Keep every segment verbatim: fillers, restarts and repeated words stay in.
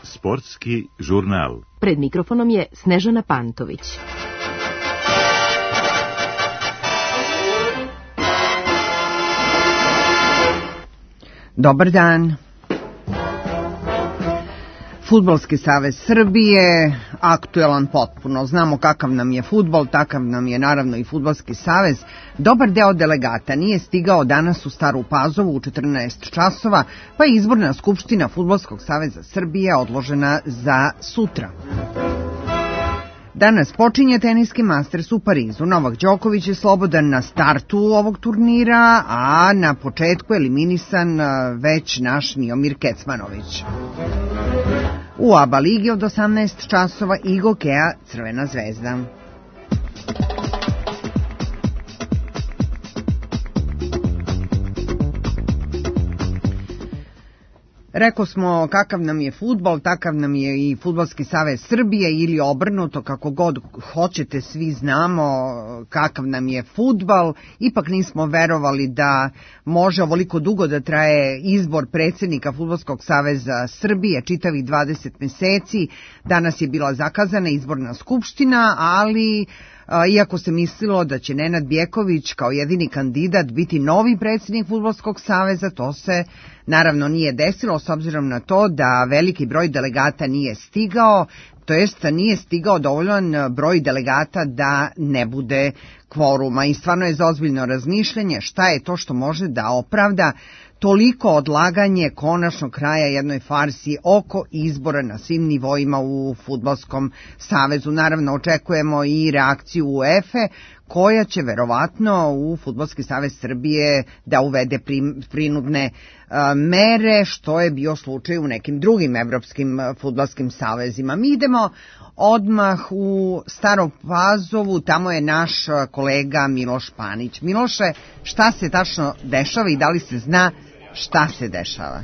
Sportski žurnal. Pred mikrofonom je Snežana Pantović. Dobar dan. Fudbalski savez Srbije, aktuelan potpuno. Znamo kakav nam je fudbal, takav nam je naravno i fudbalski savez. Dobar deo delegata nije stigao danas u Staru Pazovu u četrnaest časova, pa je izborna skupština Fudbalskog saveza Srbije odložena za sutra. Danas počinje teniski Masters u Parizu. Novak Đoković je slobodan na startu ovog turnira, a na početku eliminisan već naš Miomir Kecmanović. U A B A ligi od osamnaest časova Igo Kea Crvena zvezda. Rekao smo kakav nam je fudbal, takav nam je i Fudbalski savez Srbije ili obrnuto, kako god hoćete, svi znamo kakav nam je fudbal. Ipak nismo verovali da može ovoliko dugo da traje izbor predsjednika Fudbalskog saveza Srbije, čitavih dvadeset meseci. Danas je bila zakazana izborna skupština, ali iako se mislilo da će Nenad Bjeković kao jedini kandidat biti novi predsjednik Fudbalskog saveza, to se naravno nije desilo s obzirom na to da veliki broj delegata nije stigao, to jest nije stigao dovoljan broj delegata da ne bude kvoruma. I stvarno je za ozbiljno razmišljanje šta je to što može da opravda toliko odlaganje konačnog kraja jednoj farsi oko izbora na svim nivoima u Fudbalskom savezu. Naravno, očekujemo i reakciju UEFA, koja će verovatno u Fudbalski savez Srbije da uvede prinudne mere, što je bio slučaj u nekim drugim evropskim fudbalskim savezima. Mi idemo odmah u Staru Pazovu, tamo je naš kolega Miloš Panić. Miloše, šta se tačno dešava i da li se zna šta se dešava?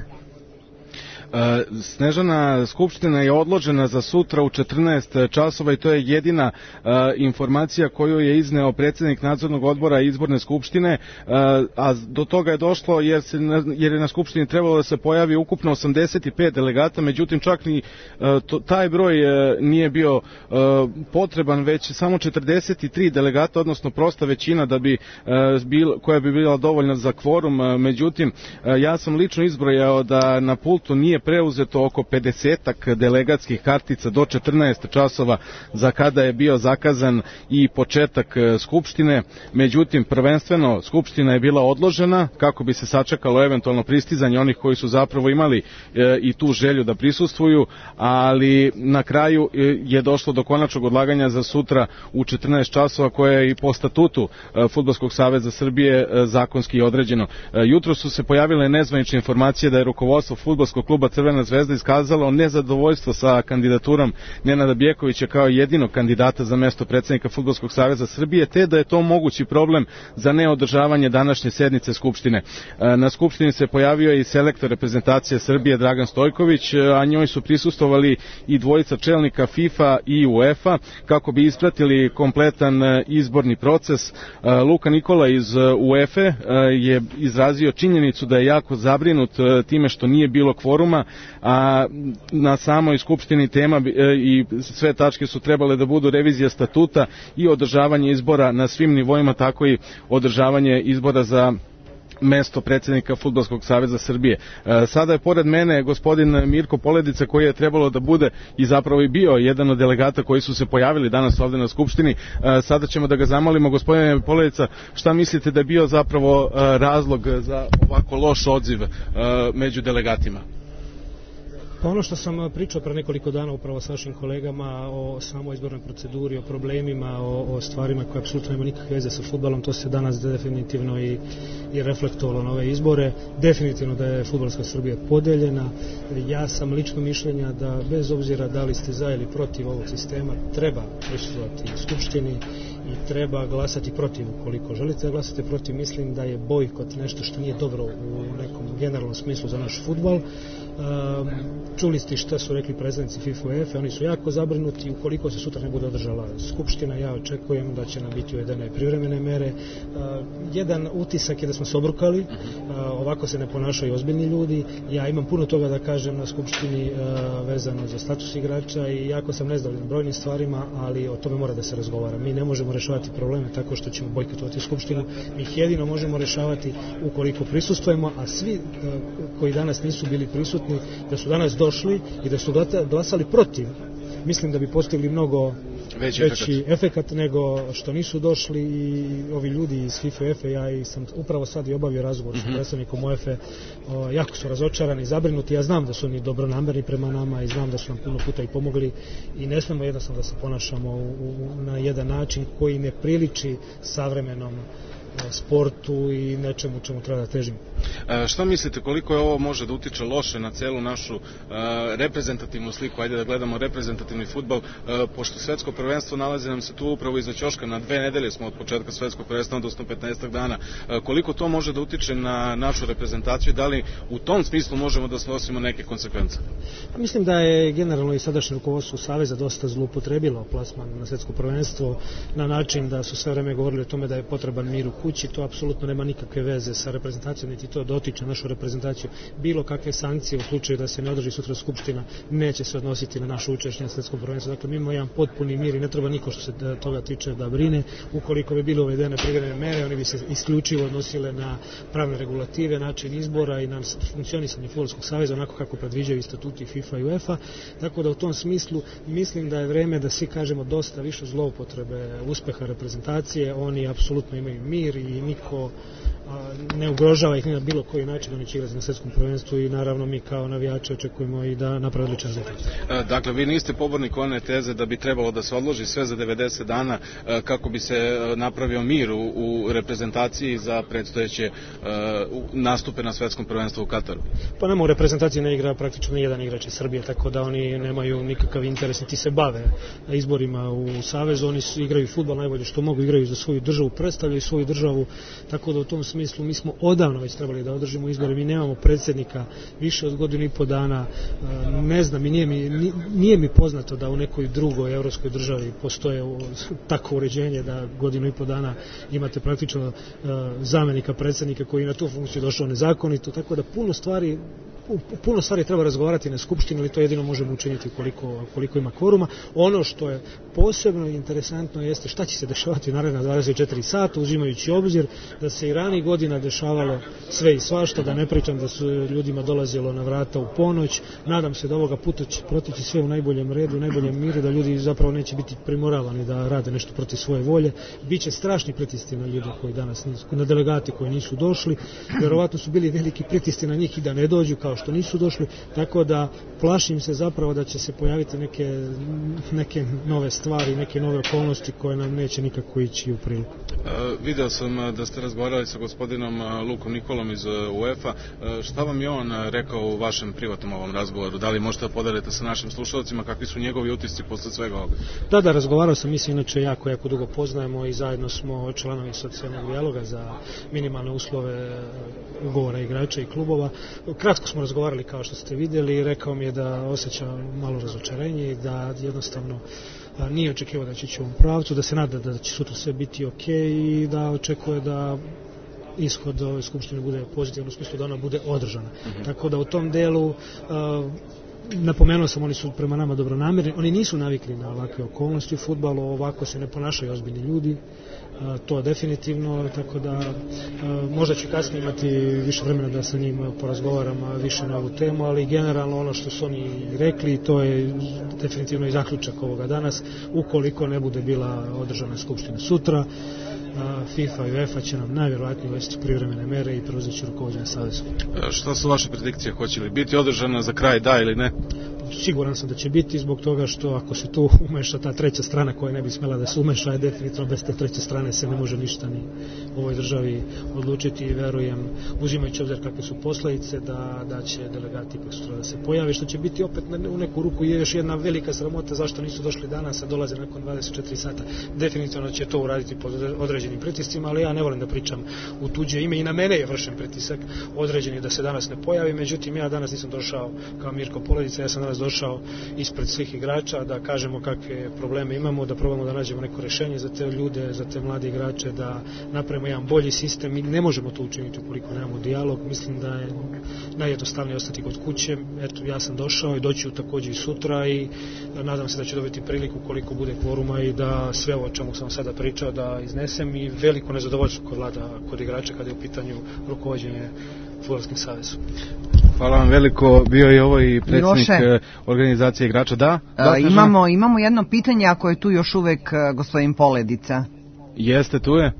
Snežana, skupština je odložena za sutra u četrnaest časova i to je jedina uh, informacija koju je izneo predsjednik nadzornog odbora izborne skupštine, uh, a do toga je došlo jer, se, jer je na skupštini trebalo da se pojavi ukupno osamdeset pet delegata, međutim čak ni uh, to, taj broj uh, nije bio uh, potreban, već samo četrdeset tri delegata, odnosno prosta većina da bi, uh, bil, koja bi bila dovoljna za kvorum, uh, međutim uh, ja sam lično izbrojao da na pultu nije preuzeto oko pedesetak delegatskih kartica do četrnaest časova za kada je bio zakazan i početak skupštine. Međutim, prvenstveno skupština je bila odložena kako bi se sačekalo eventualno pristizanje onih koji su zapravo imali e, i tu želju da prisustvuju, ali na kraju e, je došlo do konačnog odlaganja za sutra u četrnaest časova, koje je i po statutu e, Fudbalskog saveza Srbije e, zakonski određeno. E, jutro su se pojavile nezvanične informacije da je rukovodstvo Fudbalskog kluba Crvena zvezda iskazalo nezadovoljstvo sa kandidaturom Nenada Bjekovića kao jedinog kandidata za mesto predsjednika Fudbalskog saveza Srbije, te da je to mogući problem za neodržavanje današnje sednice skupštine. Na skupštini se pojavio i selektor reprezentacije Srbije Dragan Stojković, a njoj su prisustvovali i dvojica čelnika FIFA i UEFA kako bi ispratili kompletan izborni proces. Luka Nikola iz UEFA je izrazio činjenicu da je jako zabrinut time što nije bilo kvoruma, a na samoj skupštini tema i sve tačke su trebale da budu revizija statuta i održavanje izbora na svim nivoima, tako i održavanje izbora za mesto predsjednika Fudbalskog saveza Srbije. Sada je pored mene gospodin Mirko Poledica, koji je trebalo da bude i zapravo i bio jedan od delegata koji su se pojavili danas ovde na skupštini. Sada ćemo da ga zamolimo. Gospodine Poledica, šta mislite da je bio zapravo razlog za ovako loš odziv među delegatima? Pa ono što sam pričao pre nekoliko dana upravo s našim kolegama o samoj izbornoj proceduri, o problemima, o, o stvarima koje apsolutno nema nikakve veze sa fudbalom, to se danas definitivno i, i reflektovalo na ove izbore. Definitivno da je fudbalska Srbija podeljena. Ja sam lično mišljenja da bez obzira da li ste za ili protiv ovog sistema treba prisustvovati Skupštini i treba glasati protiv. Ukoliko želite da glasate protiv, mislim da je bojkot nešto što nije dobro u nekom generalnom smislu za naš fudbal. Um, čuli ste šta su rekli predstavnici FIFA i UEFA, oni su jako zabrinuti. Ukoliko se sutra ne bude održala skupština, ja očekujem da će nam biti uvedene privremene mere. Uh, jedan utisak je da smo se obrukali, uh, ovako se ne ponašaju ozbiljni ljudi. Ja imam puno toga da kažem na skupštini uh, vezano za status igrača i jako sam nezadovoljan brojnim stvarima, ali o tome mora da se razgovara. Mi ne možemo rešavati probleme tako što ćemo bojkotovati skupštinu, mi ih jedino možemo rešavati ukoliko prisustvujemo, a svi uh, koji danas nisu bili prisutni, da su danas došli i da su glasali protiv, mislim da bi postigli mnogo veći, veći efekat nego što nisu došli. I ovi ljudi iz FIFA i UEFA, ja i sam upravo sad i obavio razgovor mm-hmm. s predstavnikom UEFA, o, jako su razočarani, zabrinuti. Ja znam da su oni dobronamerni prema nama i znam da su nam puno puta i pomogli i ne smemo jednostavno da se ponašamo u, u, na jedan način koji ne priliči savremenom sportu i nečemu čemu treba da težimo. E, šta mislite, koliko je ovo može da utiče loše na celu našu e, reprezentativnu sliku, ajde da gledamo reprezentativni fudbal, e, pošto svetsko prvenstvo nalazi nam se tu upravo iza ćoška, na dve nedelje smo od početka svetskog prvenstva, odnosno petnaestak dana. E, koliko to može da utiče na našu reprezentaciju, da li u tom smislu možemo da snosimo neke konsekvence? Mislim da je generalno i sadašnje rukovodstvo Saveza dosta zloupotrebilo plasman na svetsko prvenstvo na način da su sve vreme govorili o tome da je potreban mir u kući. To apsolutno nema nikakve veze sa reprezentacijom, niti to dotiče našu reprezentaciju. Bilo kakve sankcije u slučaju da se ne održi sutra skupština neće se odnositi na naše učešće na svetskom prvenstvu. Dakle, mi imamo jedan potpuni mir i ne treba niko što se toga tiče da brine. Ukoliko bi bile uvedene privremene mere, oni bi se isključivo odnosile na pravne regulative, način izbora i na funkcionisanje Fudbalskog saveza onako kako predviđaju i statuti FIFA i UEFA. Tako da u tom smislu mislim da je vreme da svi kažemo dosta više zloupotrebe uspeha reprezentacije. Oni apsolutno imaju mir i niko ne ugrožava ih ni na bilo koji način, oni će igrati na svetskom prvenstvu i naravno mi kao navijači očekujemo i da napravi odličan rezultat. Dakle, vi niste pobornik one teze da bi trebalo da se odloži sve za devedeset dana kako bi se napravio mir u, u reprezentaciji za predstojeće uh, nastupe na svetskom prvenstvu u Kataru? Pa nema, u reprezentaciji ne igra praktično ni jedan igrač iz Srbije, tako da oni nemaju nikakav interes, niti se bave izborima u Savezu, oni su, igraju fudbal najbolje što mogu, igraju za svoju državu, predstavljaju svoju državu, tako da u tom smislu mi smo odavno već trebali da održimo izbore, mi nemamo predsjednika više od godinu i po dana, ne znam i nije mi, nije mi poznato da u nekoj drugoj evropskoj državi postoje tako uređenje da godinu i po dana imate praktično zamenika predsjednika koji na tu funkciju došao nezakonito, tako da puno stvari puno stvari treba razgovarati na skupštini, ali to jedino možemo učiniti koliko, koliko ima kvoruma. Ono što je posebno interesantno jeste šta će se dešavati naredna dvadeset četiri sata, uzimajući obzir da se i ranijih godina dešavalo sve i svašta, da ne pričam da su ljudima dolazilo na vrata u ponoć. Nadam se da ovoga puta će protići sve u najboljem redu, u najboljem miru, da ljudi zapravo neće biti primoravani da rade nešto protiv svoje volje. Biće strašni pritisci na ljudi koji danas nisu, na delegati koji nisu došli. Vjerovatno su bili veliki pritisci na njih i da ne dođu, kao što nisu došli, tako da plašim se zapravo da će se pojaviti neke, neke nove stvari, neke nove okolnosti koje nam neće nikako ići u priliku. E, video sam da ste razgovarali sa gospodinom Lukom Nikolom iz UEFA. E, šta vam je on rekao u vašem privatnom ovom razgovoru? Da li možete da podelite sa našim slušalcima kakvi su njegovi utisci posle svega ovoga? Da, da, razgovarao sam, mi se inače jako, jako dugo poznajemo i zajedno smo članovi socijalnog dijaloga za minimalne uslove ugovora igrača i klubova. Kratko smo razgovarali kao što ste vidjeli, rekao mi je da osjeća malo razočarenje i da jednostavno nije očekivao da će ići u ovom pravcu, da se nada da će sutra sve biti ok i da očekuje da ishod ove skupštine bude pozitivan u smislu da ona bude održana. Mm-hmm. Tako da u tom delu uh, napomenuo sam, oni su prema nama dobronamerni, oni nisu navikli na ovakve okolnosti u fudbalu, ovako se ne ponašaju ozbiljni ljudi, a, to definitivno, tako da a, možda ću kasnije imati više vremena da sa njim porazgovaram više na ovu temu, ali generalno ono što su oni rekli, to je definitivno i zaključak ovoga danas, ukoliko ne bude bila održana skupština sutra, FIFA i UEFA će nam najvjerojatnije uvesti privremene mere i preuzeći rukovođenje savezom. Šta su vaše predikcije? Hoće li biti održana za kraj, da ili ne? siguran sam da će biti zbog toga što ako se tu umeša ta treća strana koja ne bi smjela da se umeša, je definitivno bez te treće strane se ne može ništa ni u ovoj državi odlučiti i verujem, uzimajući obzir kakve su posljedice, da, da će delegati ipak sutra da se pojave, što će biti opet u neku ruku je još jedna velika sramota zašto nisu došli danas, a dolaze nakon dvadeset četiri sata. Definitivno će to uraditi pod određenim pritiscima, ali ja ne volim da pričam u tuđe ime i na mene je vršen pritisak određeni da se danas ne pojavi, međutim ja danas nisam došao kao Mirko Poledica, ja sam danas došao ispred svih igrača da kažemo kakve probleme imamo, da probamo da nađemo neko rješenje za te ljude, za te mlade igrače, da napravimo jedan bolji sistem i ne možemo to učiniti ukoliko nemamo dijalog. Mislim da je najjednostavnije ostati kod kuće. Eto, ja sam došao i doći također i sutra i nadam se da ću dobiti priliku koliko bude kvoruma i da sve ovo o čemu sam sada pričao da iznesem i veliko nezadovoljstvo kod vlada kod igrača kada je u pitanju rukovođenje Fudbalskim savezom. Hvala vam veliko, bio je ovo i predsjednik Miloše, organizacije igrača. Da? da imamo, imamo jedno pitanje, ako je tu još uvek gospodin Poledica. Jeste, tu je.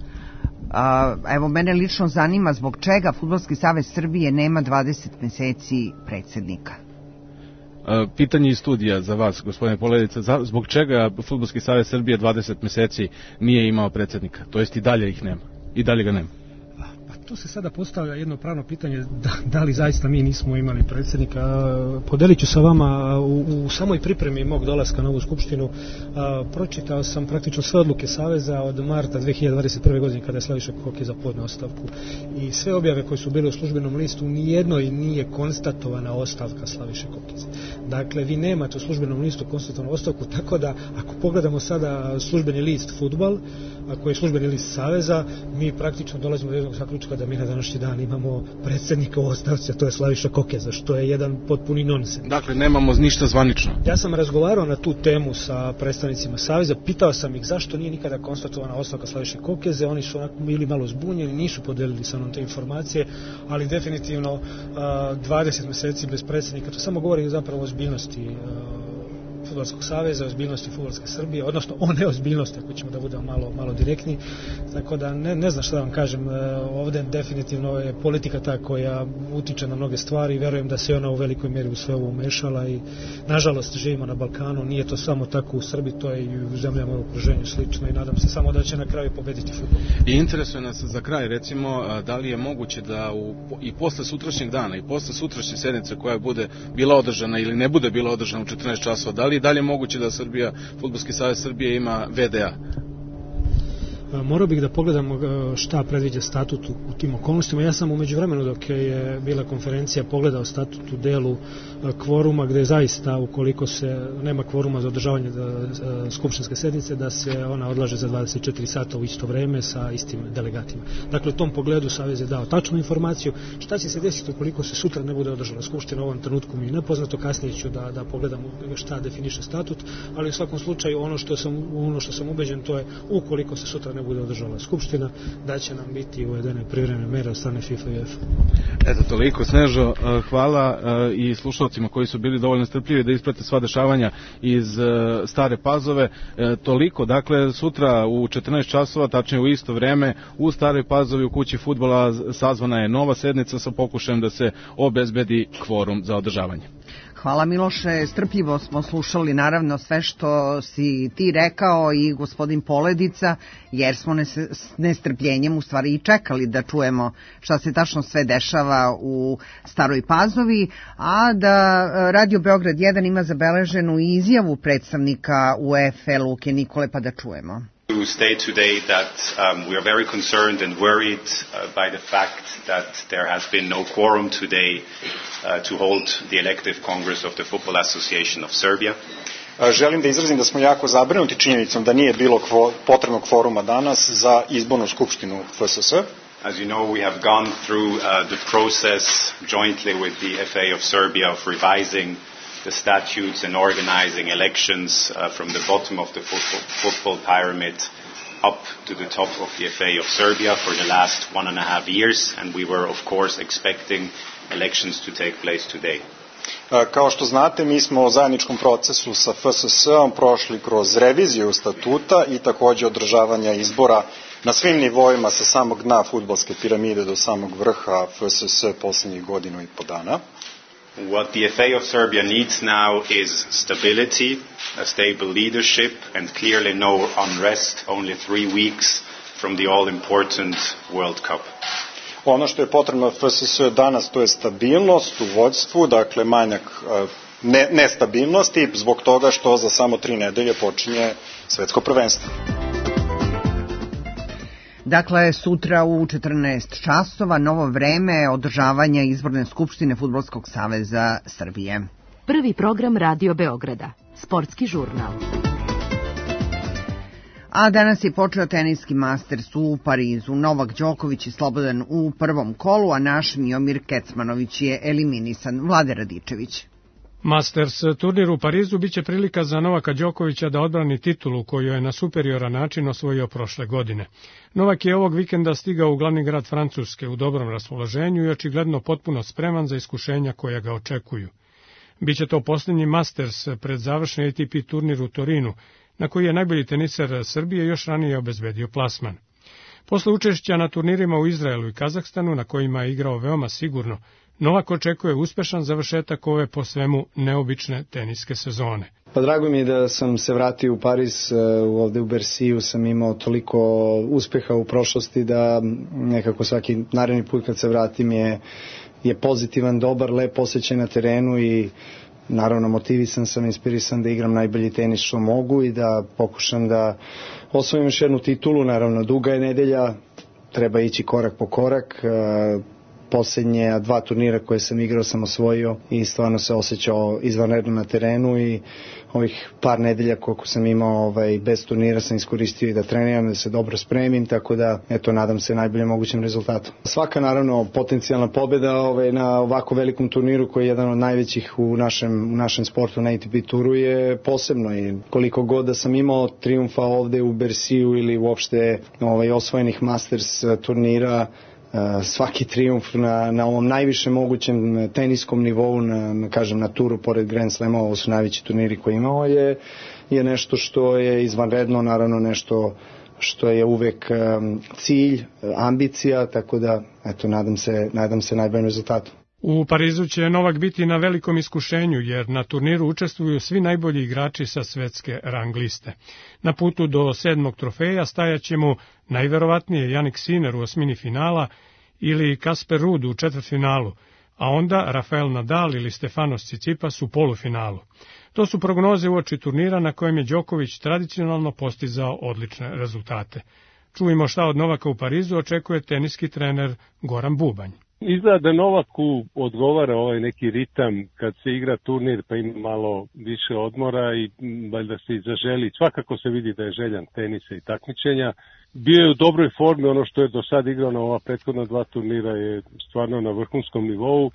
A, evo, mene lično zanima zbog čega Fudbalski savez Srbije nema dvadeset meseci predsjednika. Pitanje iz studija za vas, gospodine Poledica, zbog čega Fudbalski savez Srbije dvadeset meseci nije imao predsjednika, to jest i dalje ih nema, i dalje ga nema? Tu se sada postavlja jedno pravno pitanje da, da li zaista mi nismo imali predsjednika. Podelit ću sa vama u, u samoj pripremi mog dolaska na ovu skupštinu a, pročitao sam praktično sve odluke Saveza od marta dve hiljade dvadeset prve. godine kada je Slaviša Kokeza podneo ostavku i sve objave koje su bile u službenom listu, nijednoj nije konstatovana ostavka Slaviše Kokeze. Dakle, vi nemate u službenom listu konstatovanu ostavku, tako da ako pogledamo sada službeni list Fudbal, koji je službeni list Saveza, mi praktično dolazimo do jednog zaključka da mi na današnji dan imamo predsjednika u ostavci, a to je Slaviša Kokeza, što je jedan potpuni nonsens. Dakle, nemamo ništa zvanično. Ja sam razgovarao na tu temu sa predstavnicima Saveza, pitao sam ih zašto nije nikada konstatovana ostavka Slaviše Kokeze, oni su bili malo zbunjeni, nisu podelili sa mnom te informacije, ali definitivno dvadeset meseci bez predsjednika, to samo govori zapravo o ozbiljnosti Fudbalskog saveza, ozbiljnosti Fudbalske Srbije, odnosno o neozbiljnosti, ako ćemo da budemo malo, malo direktni. Tako da ne, ne znam šta da vam kažem, ovdje definitivno je politika ta koja utiče na mnoge stvari i verujem da se ona u velikoj mjeri u sve ovo umešala i nažalost živimo na Balkanu, nije to samo tako u Srbiji, to je i u zemljama u okruženju slično i nadam se samo da će na kraju pobediti fudbal. I interesuje nas za kraj, recimo, da li je moguće da u, i posle sutrašnjeg dana i posle sutrašnje sednice koja bude bila održana ili ne bude bila održana u četrnaest časova, da li je dalje moguće da Srbija, Fudbalski savez Srbije ima ve de a? Morao bih da pogledamo šta predviđa statut u tim okolnostima. Ja sam u međuvremenu dok je bila konferencija pogledao statut u delu kvoruma gdje zaista ukoliko se nema kvoruma za održavanje skupštinske sednice da se ona odlaže za dvadeset četiri sata u isto vreme sa istim delegatima. Dakle, u tom pogledu Savez je dao tačnu informaciju. Šta će se desiti ukoliko se sutra ne bude održala skupština, u ovom trenutku mi je nepoznato, kasnije ću da, da pogledam šta definiše statut, ali u svakom slučaju ono što sam, ono što sam ubeđen to je ukoliko se sutra ne bude održala skupština, da će nam biti uvedene privremene mere od strane FIFA i UEFA. Eto, toliko, Snežo, hvala i slušalcima koji su bili dovoljno strpljivi da isprate sva dešavanja iz Stare Pazove. Toliko, dakle, sutra u četrnaest časova, tačnije u isto vreme, u Staroj Pazovi u kući fudbala sazvana je nova sednica sa pokušajem da se obezbedi kvorum za održavanje. Hvala Miloše, strpljivo smo slušali naravno sve što si ti rekao i gospodin Poledica, jer smo s nestrpljenjem u stvari i čekali da čujemo šta se tačno sve dešava u Staroj Pazovi, a da Radio Beograd jedan ima zabeleženu izjavu predstavnika UEFA Luke Nikole, pa da čujemo. To state today that um, we are very concerned and worried uh, by the fact that there has been no quorum today uh, to hold the elective Congress of the Football Association of Serbia. Želim da izrazim da smo jako zabrinuti činjenicom da nije bilo kvo, potrebnog kvoruma danas za izbornu skupštinu F S S. As you know, we have gone through uh, the process jointly with the F A of Serbia of revising the statutes and organizing elections uh, from the bottom of the football, football pyramid up to the top of the F A of Serbia for the last one and a half years, and we were of course expecting elections to take place today. Kao što znate, mi smo u zajedničkom procesu sa F S S-om prošli kroz reviziju statuta i također održavanja izbora na svim nivoima sa samog dna fudbalske piramide do samog vrha F S S posljednjih godinu i po dana. What the F A of Serbia needs now is stability, a stable leadership, and clearly no unrest only three weeks from the all-important World Cup. Ono što je potrebno F S S danas, to je stabilnost u vođstvu, dakle manjak ne, nestabilnosti, zbog toga što za samo tri nedelje počinje svetsko prvenstvo. Dakle, sutra u četrnaest časova novo vreme održavanja izborne skupštine Fudbalskog saveza Srbije. Prvi program Radio Beograda, sportski žurnal. A danas je počeo teniski Masters u Parizu. Novak Đoković je slobodan u prvom kolu, a naš Miomir Kecmanović je eliminisan. Vlade Radičević. Masters turnir u Parizu biće prilika za Novaka Đokovića da odbrani titulu koju je na superioran način osvojio prošle godine. Novak je ovog vikenda stigao u glavni grad Francuske u dobrom raspoloženju i očigledno potpuno spreman za iskušenja koja ga očekuju. Biće to posljednji Masters pred završni A T P turnir u Torinu, na koji je najbolji teniser Srbije još ranije obezbedio plasman. Posle učešća na turnirima u Izraelu i Kazahstanu, na kojima je igrao veoma sigurno, Novak očekuje uspešan završetak ove po svemu neobične teniske sezone. Pa drago mi je da sam se vratio u Pariz, ovde u Bersiju sam imao toliko uspeha u prošlosti da nekako svaki naredni put kad se vratim je, je pozitivan, dobar, lep osjećaj na terenu i naravno motivisan sam, inspirisan da igram najbolji tenis što mogu i da pokušam da osvojim još jednu titulu. Naravno duga je nedelja, treba ići korak po korak. Posljednje dva turnira koje sam igrao sam osvojio i stvarno se osjećao izvanredno na terenu i ovih par nedelja koliko sam imao ovaj, bez turnira sam iskoristio i da treniram, da se dobro spremim, tako da eto, nadam se najboljem mogućem rezultatu. Svaka naravno potencijalna pobjeda ovaj, na ovako velikom turniru koji je jedan od najvećih u našem, u našem sportu na A T P turu je posebno i koliko god da sam imao triumfa ovde u Bersiju ili uopšte ovaj, osvojenih Masters turnira, svaki triumf na, na ovom najvišem mogućem teniskom nivou, na, kažem, na turu pored Grand Slema, ovo su najveći turniri koji imao, je, je nešto što je izvanredno, naravno nešto što je uvek um, cilj, ambicija, tako da eto, nadam se, nadam se najboljem rezultatu. U Parizu će Novak biti na velikom iskušenju, jer na turniru učestvuju svi najbolji igrači sa svetske rang liste. Na putu do sedmog trofeja stajaće mu najverovatnije Jannik Sinner u osmini finala ili Kasper Ruud u četvrtfinalu, a onda Rafael Nadal ili Stefanos Tsitsipas u polufinalu. To su prognoze uoči turnira na kojem je Đoković tradicionalno postizao odlične rezultate. Čujemo šta od Novaka u Parizu očekuje teniski trener Goran Bubanj. Izgleda da Novaku odgovara ovaj neki ritam kad se igra turnir pa ima malo više odmora i valjda se i zaželi. Svakako se vidi da je željan tenisa i takmičenja. Bio je u dobroj formi, ono što je do sad igrao na ova prethodna dva turnira je stvarno na vrhunskom nivou.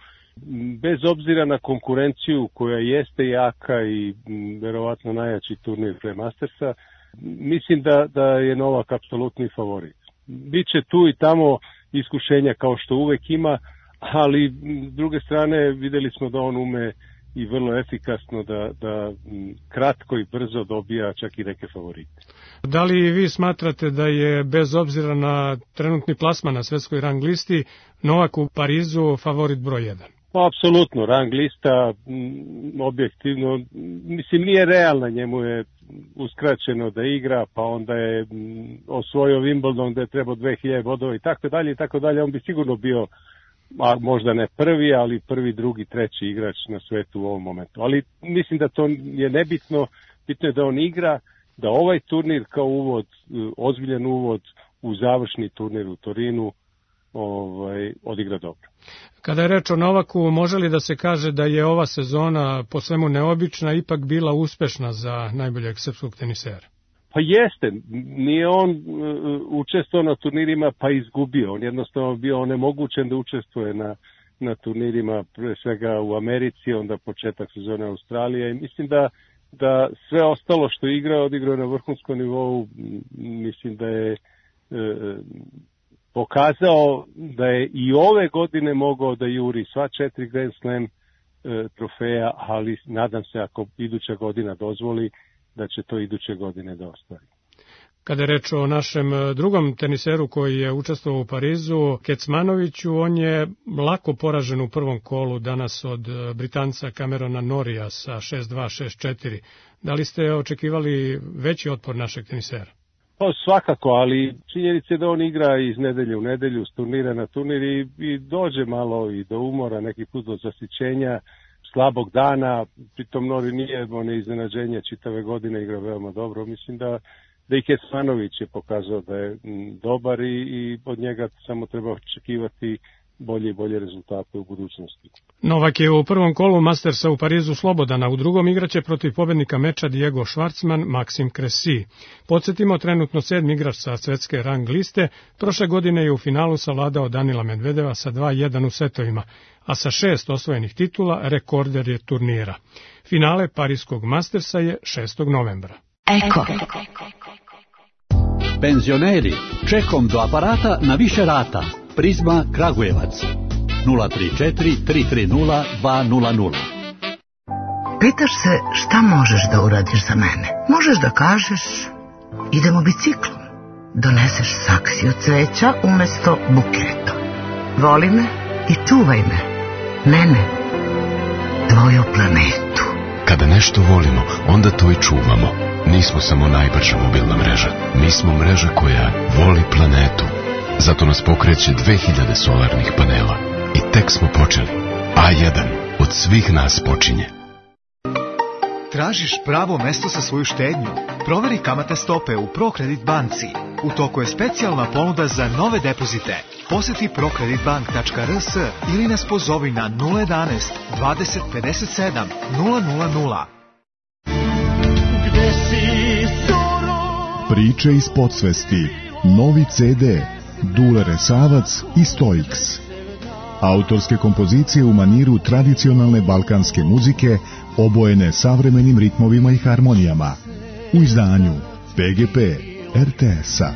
Bez obzira na konkurenciju koja jeste jaka i verovatno najjači turnir pre Mastersa, mislim da, da je Novak apsolutni favorit. Biće tu i tamo iskušenja kao što uvek ima, ali s druge strane videli smo da on ume i vrlo efikasno da, da kratko i brzo dobija čak i neke favorite. Da li vi smatrate da je bez obzira na trenutni plasman na svetskoj rang listi Novak u Parizu favorit broj jedan? Pa, apsolutno, rang lista m, objektivno, mislim nije realna, njemu je uskraćeno da igra, pa onda je m, osvojio Wimbledon gde je trebao dve hiljade bodova i tako dalje i tako dalje, on bi sigurno bio, a možda ne prvi, ali prvi, drugi, treći igrač na svetu u ovom momentu. Ali mislim da to je nebitno, bitno je da on igra, da ovaj turnir kao uvod, ozbiljan uvod u završni turnir u Torinu, ovaj, odigra dobro. Kada je reč o Novaku, može li da se kaže da je ova sezona po svemu neobična ipak bila uspešna za najboljeg srpskog tenisera? Pa jeste, nije on uh, učestvovao na turnirima pa izgubio, on jednostavno bio onemogućen da učestvuje na, na turnirima, pre svega u Americi, onda početak sezone Australije i mislim da, da sve ostalo što je igrao, odigrao na vrhunskom nivou, mislim da je uh, pokazao da je i ove godine mogao da juri sva četiri Grand Slam e, trofeja, ali nadam se ako iduća godina dozvoli da će to iduće godine da ostvari. Kada je reč o našem drugom teniseru koji je učestvovao u Parizu, Kecmanoviću, on je lako poražen u prvom kolu danas od Britanca Camerona Norrija sa šest dva šest četiri. Da li ste očekivali veći otpor našeg tenisera? Pa svakako, ali činjenica je da on igra iz nedelje u nedelju, s turnira na turnir i, i dođe malo i do umora, neki put do zasićenja, slabog dana, pritom Nori nije ono iznenađenje, čitave godine igra veoma dobro. Mislim da, da i Kecmanović je pokazao da je m, dobar i, i od njega samo treba očekivati bolje i bolje rezultate u budućnosti. Novak je u prvom kolu Mastersa u Parizu slobodan, a u drugom igraće protiv pobednika meča Diego Schwartzman, Maxim Cressy. Podsjetimo, trenutno sedmi igrač sa svetske rang liste, prošle godine je u finalu savladao Danila Medvedeva sa dva jedan u setovima, a sa šest osvojenih titula rekorder je turnira. Finale Parijskog Mastersa je šestog novembra. Eko. Penzioneri, čekom do aparata na više rata. Prizma Kragujevac nula tri četiri tri tri nula dva nula nula. Pitaš se šta možeš da uradiš za mene? Možeš da kažeš idemo biciklom. Doneseš saksiju cveća umesto buketa. Voli me i čuvaj me. Mene, tvoju planetu. Kada nešto volimo, onda to i čuvamo. Nismo samo najbrža mobilna mreža. Mi smo mreža koja voli planetu. Zato nas pokreće dve hiljade solarnih panela. I tek smo počeli. A jedan od svih nas počinje. Tražiš pravo mesto za svoju štednju? Proveri kamatne stope u ProCredit banci. U toku je specijalna ponuda za nove depozite. Poseti procredit bank tačka r s ili nas pozovi na nula jedanaest dvadeset pedeset sedam nula nula nula. Priče iz podsvesti. Novi ce de. Dule Resavac i Stoiks. Autorske kompozicije u maniru tradicionalne balkanske muzike, obojene savremenim ritmovima i harmonijama. U izdanju pe ge pe er te es-a.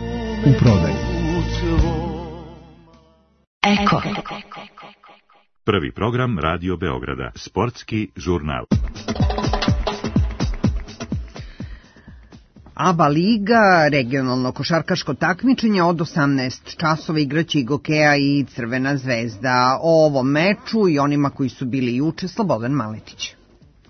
U prodaju. Eko. Prvi program Radio Beograda. Sportski žurnal. ABA liga, regionalno košarkaško takmičenje, od osamnaest časova igraće i Gokeja i Crvena zvezda. O ovom meču i onima koji su bili juče, Slobodan Maletić.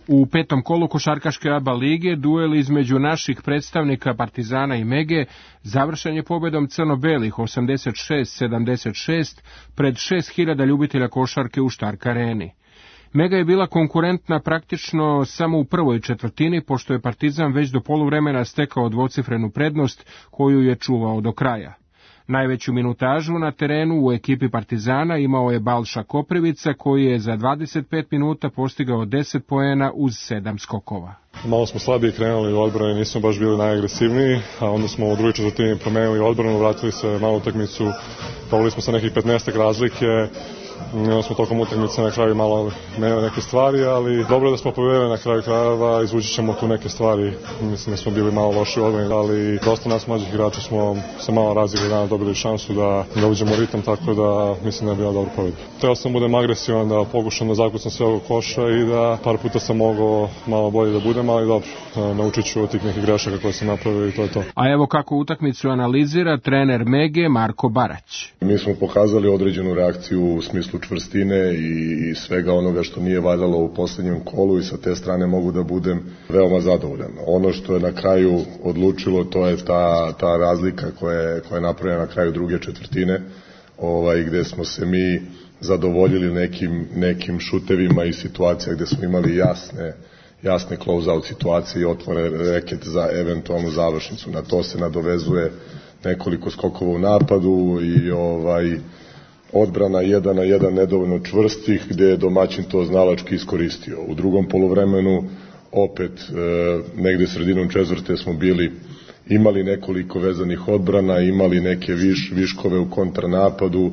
U petom kolu košarkaške ABA lige duel između naših predstavnika Partizana i Mege završen je pobedom crno-belih osamdeset šest sedamdeset šest pred šest hiljada ljubitelja košarke u Štark areni. Mega je bila konkurentna praktično samo u prvoj četvrtini, pošto je Partizan već do poluvremena stekao dvocifrenu prednost koju je čuvao do kraja. Najveću minutažu na terenu u ekipi Partizana imao je Balša Koprivica, koji je za dvadeset pet minuta postigao deset poena uz sedam skokova. Malo smo slabije krenuli u odbrani, nismo baš bili najagresivniji, a onda smo u drugoj četvrtini promenili odbranu, vratili se malo utakmicu, poveli smo sa nekih petnaestak razlike. Onda smo tokom utakmice na kraju malo menjali neke stvari, ali dobro je da smo pobedili na kraju krajeva, izvući ćemo tu neke stvari. Mislim da smo bili malo loši u odbrani, ali dosta nas mlađih igrača smo se malo razigli dana, dobili šansu da, da uđemo u ritam, tako da mislim da je bila dobra pobeda. Trebao sam budem agresivan, da pokušam da zakucam sve ovog koša i da par puta sam mogao malo bolje da budem, ali dobro, naučit ću od tih nekih grešaka koje sam napravio i to je to. A evo kako utakmicu analizira trener Mege Marko Barać. Mi smo pokazali određenu reakciju u smislu čvrstine i svega onoga što nije valjalo u posljednjem kolu i sa te strane mogu da budem veoma zadovoljan. Ono što je na kraju odlučilo, to je ta, ta razlika koja je, koja je napravljena na kraju druge četvrtine, ovaj, gde smo se mi zadovoljili nekim, nekim šutevima i situacija gde smo imali jasne, jasne close-out situacije i otvore reket za eventualnu završnicu. Na to se nadovezuje nekoliko skokova u napadu i ovaj odbrana jedan na jedan nedovoljno čvrstih, gde je domaćin to znalački iskoristio. U drugom poluvremenu opet e, negde sredinom četvrte smo bili imali nekoliko vezanih odbrana, imali neke viš, viškove u kontranapadu,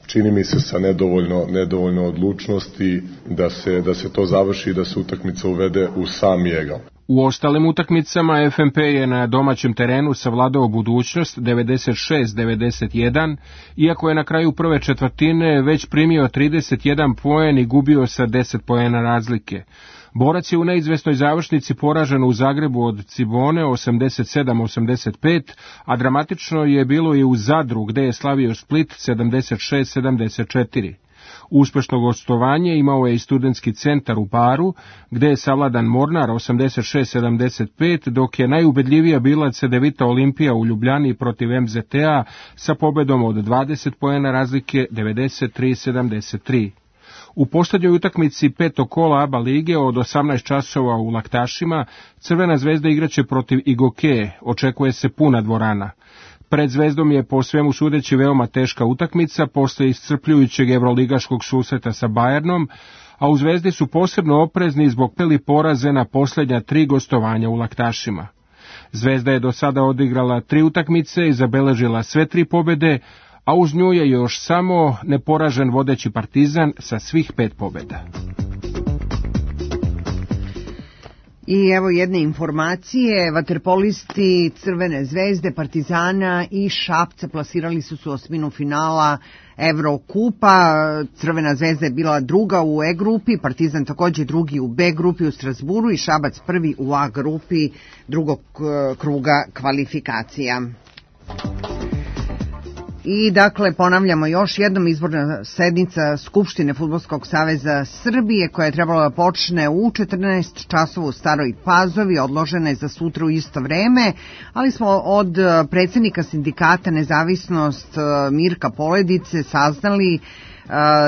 čini mi se sa nedovoljno, nedovoljno odlučnosti da se, da se to završi i da se utakmica uvede u sam egal. U ostalim utakmicama ef em pe je na domaćem terenu savladao budućnost devedeset šest devedeset jedan, iako je na kraju prve četvrtine već primio trideset jedan poen i gubio sa deset poena razlike. Borac je u neizvesnoj završnici poražen u Zagrebu od Cibone osamdeset sedam osamdeset pet, a dramatično je bilo i u Zadru gde je slavio Split sedamdeset šest sedamdeset četiri. Uspešno gostovanje imao je i studentski centar u Baru, gde je savladan Mornar osamdeset šest sedamdeset pet, dok je najubedljivija bila Cedevita Olimpija u Ljubljani protiv em zet te-a sa pobedom od dvadeset poena razlike devedeset tri sedamdeset tri. U poslednjoj utakmici petog kola ABA lige od osamnaest časova u Laktašima Crvena zvezda igraće protiv Igoke, očekuje se puna dvorana. Pred Zvezdom je po svemu sudeći veoma teška utakmica posle iscrpljujućeg evroligaškog susreta sa Bayernom, a u Zvezdi su posebno oprezni zbog peli poraze na poslednja tri gostovanja u Laktašima. Zvezda je do sada odigrala tri utakmice i zabeležila sve tri pobede, a uz nju je još samo neporažen vodeći Partizan sa svih pet pobeda. I evo jedne informacije, vaterpolisti Crvene zvezde, Partizana i Šapca plasirali su se u osminu finala Evrokupa. Crvena zvezda je bila druga u E grupi, Partizan takođe drugi u B grupi u Strasburu i Šabac prvi u A grupi drugog kruga kvalifikacija. I dakle, ponavljamo još jednom, izborna sednica Skupštine Fudbalskog saveza Srbije koja je trebala da počne u četrnaest časova u Staroj Pazovi, odložena je za sutra u isto vreme, ali smo od predsednika sindikata Nezavisnost Mirka Poledice saznali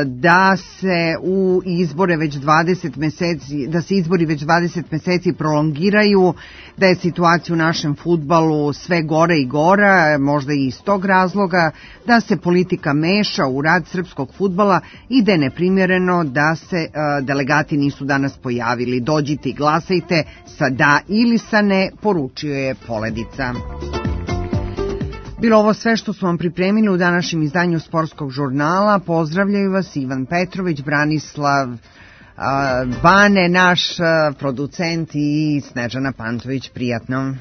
da se u izbore već dvadeset meseci, da se izbori već dvadeset meseci prolongiraju, da je situacija u našem fudbalu sve gore i gora, možda i iz tog razloga, da se politika meša u rad srpskog fudbala i da je neprimjereno da se delegati nisu danas pojavili. Dođite i glasajte sa da ili sa ne, poručio je Poledica. Bilo ovo sve što smo vam pripremili u današnjem izdanju Sportskog žurnala. Pozdravljaju vas Ivan Petrović, Branislav Bane, naš producent, i Snežana Pantović. Prijatno.